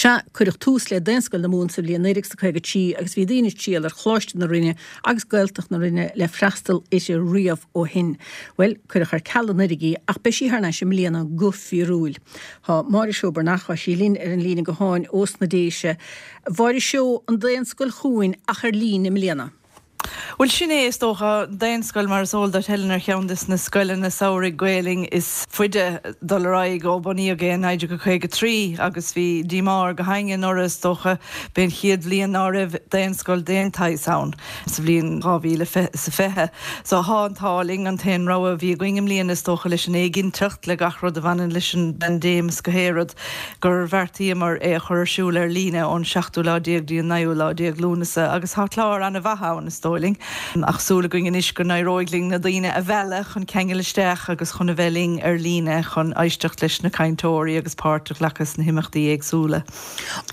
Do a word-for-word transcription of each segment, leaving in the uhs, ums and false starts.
Sea, cuireadh tús le Daonscoil na Mumhan sa bhliain naoi déag caoga trí agus bhí daoine ag triall ar Choláiste na Rinne agus Gaeltacht na Rinne le freastal uirthi riamh ó shin. Bhuel, cuireadh ar ceal anuraidh í ach beidh sí thar n-ais i mbliana go fíorúil. Tá Máire Seó Breathnach, tá sí linn ar an líne gutháin ós na Déise. A Mháire Seó, an Daonscoil chugainn ach ar líne i mbliana. Bhuel, sin é, is dócha, Daonscoil, mar is eol duit, Helen, ar cheann de na scoileanna samhraidh Gaelainne is faide dul ar aghaidh ó bunaíodh é in naoi déag caoga trí agus bhí díomá ar gach éinne anuraidh, is dócha. B'é an chéad bhliain ná raibh Daonscoil d'aon tsaghas ann sa bhliain dhá mhíle is a fiche. So thá an t-ádh linn, an t-aon rogha a bhí againn i mbliana, is dócha, leis an éiginnteacht, le gach rud a bhaineann leis an bpaindéim is gach aon rud, gur bheartaíomar é a chur ar siúl ar líne ón seachtú lá déag dtí an naoú lá déag Lúnasa agus thá clár an-mhaith ann, is dóigh linn. Ach súil againn anois go n-éireoidh linn na daoine a mhealladh chun ceangal isteach agus chun a bheith linn ar líne chun éisteacht leis na cainteoirí agus páirt a ghlacadh sna himeachtaí éagsúla.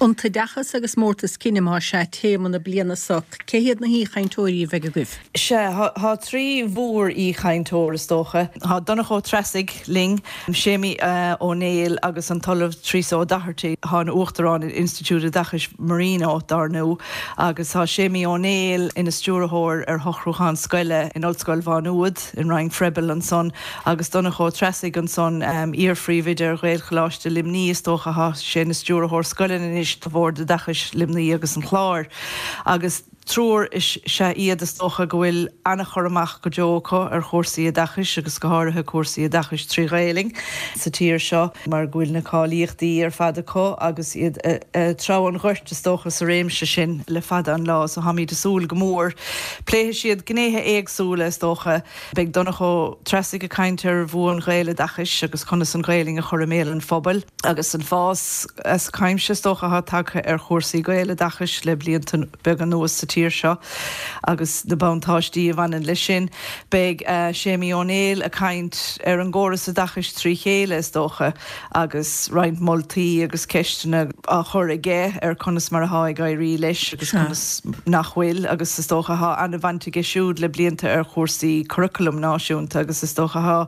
An tOideachas agus Mórtas Cine, más ea, téama na bliana seo. Cé hiad na haoichainteoirí a bheidh agaibh? Sea, thá trí mhór-aoichainteoir, is dócha. Thá Donncha Ó Treasaigh linn, Séimí Ó Néill agus an tOllamh Teresa O'Doherty, thá ina Uachtarán in Institiúid Oideachais Marino, dár ndú, agus thá Séimí Ó Néill ina stiúrthóir ar shocrúchán scoile in Ollscoil Mhá Nuad, in Roinn Froebel ansan, agus Donncha Ó Treasaigh ansan, iar-phríomhoide ar Ghaelcholáiste Luimní, is dócha, thá sé ina stiúrthóir scoileanna anois do Bhord Oideachais Luimní agus an Chláir, agus triúr is ea iad, is dócha, go bhfuil an-chur amach go deo acu ar chúrsaí oideachais agus go háirithe cúrsaí oideachais trí Ghaelainn sa tír seo mar go bhfuil na cáilíochtaí ar fad acu agus iad ag treabhadh an ghoirt, is dócha, sa réimse sin le fada an lá. So táimid ag súil go mór. Pléifidh siad gnéithe éagsúla, is dócha. Beidh Donncha Ó Treasaigh ag caint ar bhua an Ghaeloideachais agus conas an Ghaelainn a chur i mbéal an phobail agus an fás as cuimse, is dócha, atá tagtha ar chúrsaí Gaeloideachais le blianta beaga anuas sa tír seo agus na buntáistí a bhaineann leis sin. Beidh Séimí Ó Néill ag caint ar an gcóras oideachais trí chéile, is dócha, agus roinnt moltaí agus ceisteanna á chur aige ar conas mar atá ag éirí leis agus conas nach bhfuil agus is dócha thá an-bhaint aige siúd le blianta ar chúrsaí curaclaim náisiúnta agus is dócha thá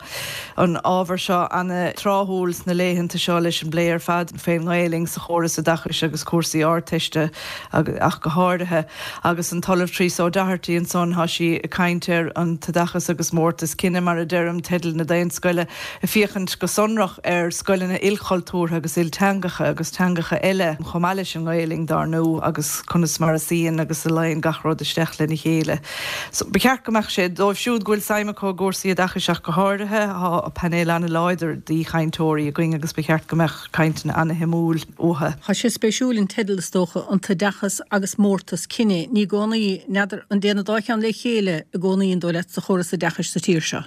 an ábhar seo an-tráthúil sna laethanta seo leis an bplé ar fad fén nGaelainn sa chóras oideachais agus cúrsaí Ardteiste ach go háirithe. Agus an tOllamh Teresa O'Doherty ansan thá sí ag caint ar an t-oideachas agus mórtas cine mar a deirim, teideal na Daonscoile, ag féachaint go sonrach ar scoileanna ilchultúrtha agus ilteangacha agus teangacha eile chomh maith leis an nGaelainn dár ndú agus conas mar a suíonn agus a luíonn gach rud isteach lena chéile. So, ba cheart go mbeadh sé, dóibh siúd go bhfuil suim acu i gcúrsaí oideachais ach go háirithe, thá painéal an-láidir d'aoichainteoirí againn agus ba cheart go mbeadh cainteanna an-shuimiúil uathu. Tá sé spéisiúil an teideal is dócha, An tOideachas agus Mórtas Cine. Ní i gcónaí, n'fheadar, an dtéann an dá cheann le chéile i gcónaí an dóigh leat sa chóras oideachais sa tír seo?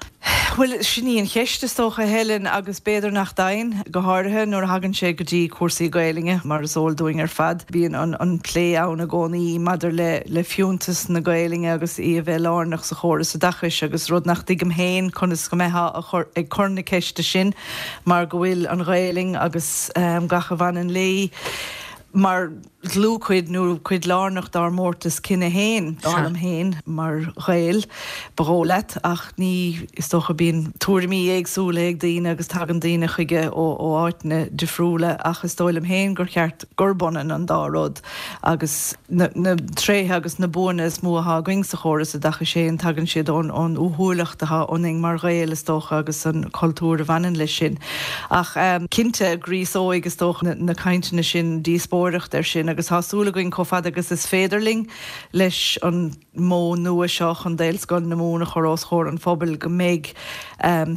Bhuel, sin í an cheist, is dócha, a Helen, agus b'fhéidir nach dtéann, go háirithe nuair a thagann sé go dtí cúrsaí Gaelainne, mar is eol dúinn ar fad. Bíonn an plé ann i gcónaí maidir le le fiúntas na Gaelainne agus í a bheith lárnach sa chóras oideachais agus rud nach dtuigim féin conas go mbeifeá ag cur na ceiste sin mar go bhfuil an Ghaelainn agus gach a bhaineann léi mar dhlúthchuid nó cuid lárnach dár mórtas cine féin, dar liom féin, mar Ghael, ba dhóigh leat, ach ní, is dócha, bíonn tuairimí éagsúla ag daoine agus tagann daoine chuige ó áiteanna difriúla ach is dóigh liom féin gur cheart gurb ionann an dá rud agus na tréithe agus na buanna is mó atá againn sa chóras oideachais féin, tagann siad ón uathúlacht atá ionainn mar Ghaeil, is dócha, agus an cultúr a bhaineann leis sin. Ach cinnte, gríosóidh, is dócha, na cainteanna sin díospóireacht air sin agus tá súil againn, chomh fada agus is féidir linn, leis an modh nua seo chun Daonscoil na Mumhan a chur os comhair an phobail, go mbeidh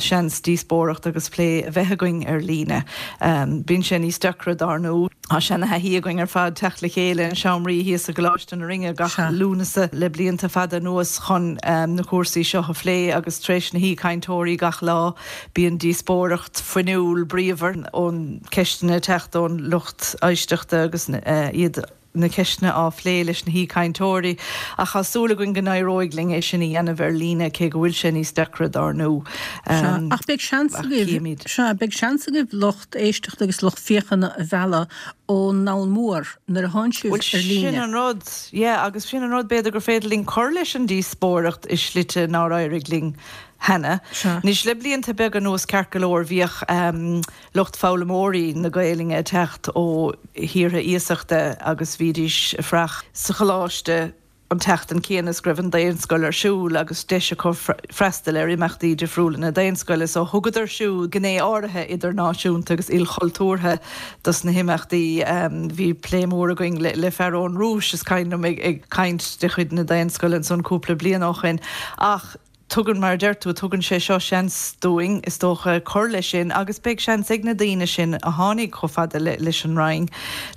seans díospóireacht agus plé a bheith againn ar líne. Bíonn sé níos deacra, dár ndú. Tá seana-thaithí againn ar fad teacht le chéile in seomraí thíos i gColáiste na Rinne gach Lúnasa le blianta fada anuas chun na cúrsaí seo a phlé agus tar éis na haoichainteoirí gach lá bíonn díospóireacht fuinniúil bríomhar ón ceisteanna ag teacht ón lucht éisteachta agus iad na ceisteanna á phlé leis na haoichainteoirí ach tá súil againn go n-éireoidh linn é sin a dhéanamh ar líne cé go bhfuil sé níos deacra dár ndú. Sea, ach beidh seans agaibh, sea, beidh seans agaibh lucht éisteachta agus lucht féachana a mhealladh ón ndomhan mór nuair a thánn sibh Bhuel, ar líne. sin an rud, yeah, agus sin an rud, b'fhéidir gur féidir linn cur leis an díospóireacht i slite nár éirigh linn cheana. Anois le blianta beaga anuas ceart go leor bhíodh lucht foghlaimeoirí na Gaelainne ag teacht ó thíortha iasachta agus bhídís ag fuireach sa choláiste an tseachtain céanna is go raibh an Daonscoil ar siúl agus deis acu freastal ar imeachtaí difriúla na Daonscoile so thugadar siúd gné áirithe idirnáisiúnta agus ilchultúrtha dos na himeachtaí. Bhí plé mór againn le fear ón Rúis is cuimhin liom ag caint de chuid na Daonscoile ansan cúpla bliain ó shin ach tugann, mar a deir tú, tugann sé seo seans dúinn, is dócha, cur leis sin agus beidh seans ag na daoine sin a tháinig chomh fada leis an Rinn,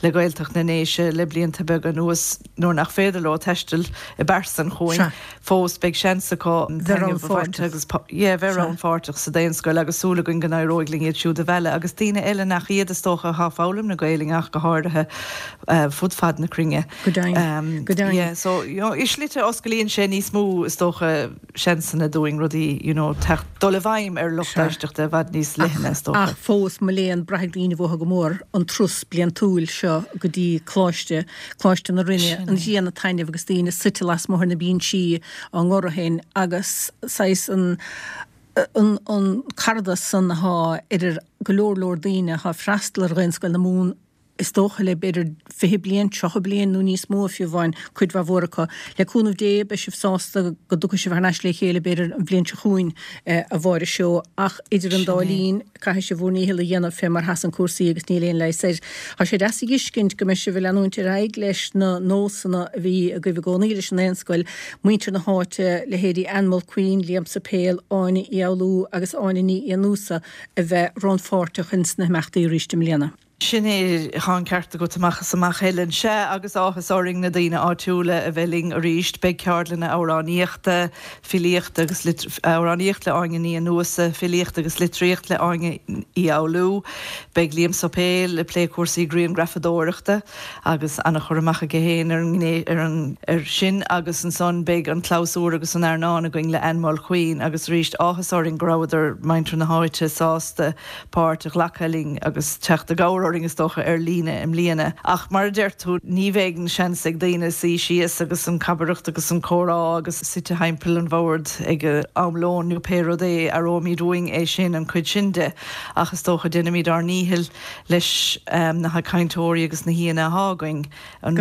le Gaeltacht na nDéise le blianta beaga anuas, nuair nach féidir leo taisteal i bpearsan chugainn fós, beidh seans acu taitneamh a bhaint agus, yeah, bheith rannpháirteach sa Daonscoil agus súil againn go n-éireoidh linn iad siúd a mhealladh agus daoine eile nach iad, is dócha, atá ag foghlaim na Gaelainne ach go háirithe fud fad na cruinne. Go deimhin. Go deimhin. Yeah, so, you know, i slite osclaíonn sé níos mó, is dócha, seansanna dúinn rudaí, you know, teacht, dul i bhfeidhm ar lucht éisteachta i bhfad níos leithne, is dócha. Ach fós, mo léan, braithfidh daoine uathu go mór an turas bliantúil seo go dtí Coláiste, Coláiste na Rinne, an ghrian ag taitneamh agus daoine suite lasmuigh ar na binsí á ngoradh féin agus saghas an, an, an caradas san athá idir go leor leor daoine athá ag freastal ar Dhaonscoil na Mumhan is dócha le b'fhéidir fiche bliain, tríocha bliain nó níos mó fiú amháin, cuid mhaith mhór acu. Le cúnamh Dé, beidh sibh sásta go dtiocfaidh sibh thar n-ais le chéile b'fhéidir an bhliain seo chugainn, a Mháire Seó, ach idir an dá linn, caithfidh sibh bhur ndícheall a dhéanamh fé mar sheasann cúrsaí agus níl aon leigheas air. Tá sé deas a dh'fheiscint go mbeidh sibh ag leanúint ar aghaidh leis na nósanna a bhí agaibh i gcónaí leis an Daonscoil, muintir na háite, leithéidí Ann Mulqueen, Liam Suipéil, Áine Uí Fhoghlú agus Áine Ní Fhiannúsa a bheith rannpháirteach ins na himeachtaí arís i mbliana. Sin é, tá an ceart agat amach is amach, Helen. Sea, agus áthas orainn na daoine áitiúla a bheith linn arís. Beidh ceardlanna amhránaíochta, filíochta agus amhránaíocht le Áine Ní Fhiannúsa, filíocht agus litríocht le Áine Uí Fhoghlú. Beidh Liam Suipéil ag plé cúrsaí grianghrafadóireachta agus an-chur amach aige féin ar an ngné ar an ar sin agus ansan beidh an clabhsúr agus an airneán againn le Ann Mulqueen agus arís áthas orainn go rabhadar, muintir na háite, sásta páirt a ghlacadh linn agus teacht i gcabhair orainn is dócha ar líne i mbliana. Ach mar a deir tú, ní bheidh an seans ag daoine suí síos agus an cabaireacht agus an comhrá agus suite thimpeall an bhoird ag am lóin nó pé rud é, aireoimid uainn é sin, an chuid sin de. Ach is dócha déanfaimid ár ndícheall leis na cainteoirí agus na haíonna athá againn an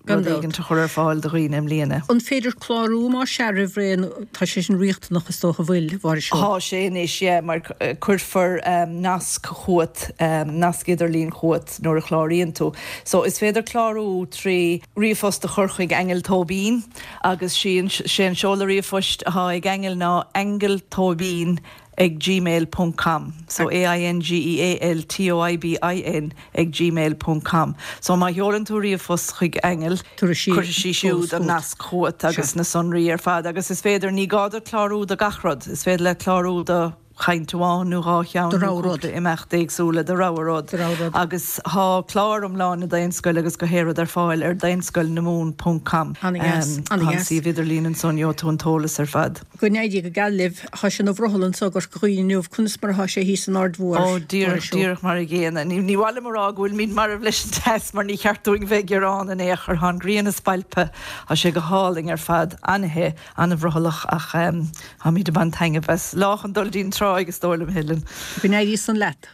rud éigin a chur ar fáil do dhaoine i mbliana. An féidir clárú más ea roimh ré nó tá sé sin riachtanach is dócha an bhfuil, a Mháire Seó? Tá sé anois, yeah, mar cuirfear nasc chugat, nasc idirlín chugat nuair a chláraíonn tú. So is féidir clárú trí ríomhphost a chur chuig Aingeal Tóibín agus sé an seoladh ríomhphoist athá ag Aingeal ná aingealtóibín ag gmail ponc com so A I N G E A L T O I B I N ag gmail ponc com so má sheolann tú ríomhphost chuig Aingeal cuirfidh sí siúd an nasc chugat agus na sonraí ar fad agus is féidir ní gá duit clárú do gach rud is féidir leat clárú do chaint amháin nó dhá cheann nó cúpla imeacht éagsúla do rogha rud agus tá clár iomlán na Daonscoile agus gach aon rud ar fáil ar daonscoilnamumhan ponc com tá an suíomh idirlín ansan gheobhaidh tú an t-eolas ar fad. Go n-éirí go geal libh. Thá sé ina bhrothall anso i gCorca Dhuibhne inniu. Conas mar athá sé thíos san Aird Mhór? Ó, díreach, díreach mar a gcéanna. Ní, ní mhaith liom a rá go bhfuilimid marbh leis an teas mar ní cheart dúinn bheith ag gearán in aon chor. Thá an ghrian ag spalpadh. Thá sé go hálainn ar fad. An-the, an-bhrothallach ach tháimid ag baint taitneamh as. Lá chun dul dtí'n tráigh is dóigh liom, Helen. Go n-éirí san leat.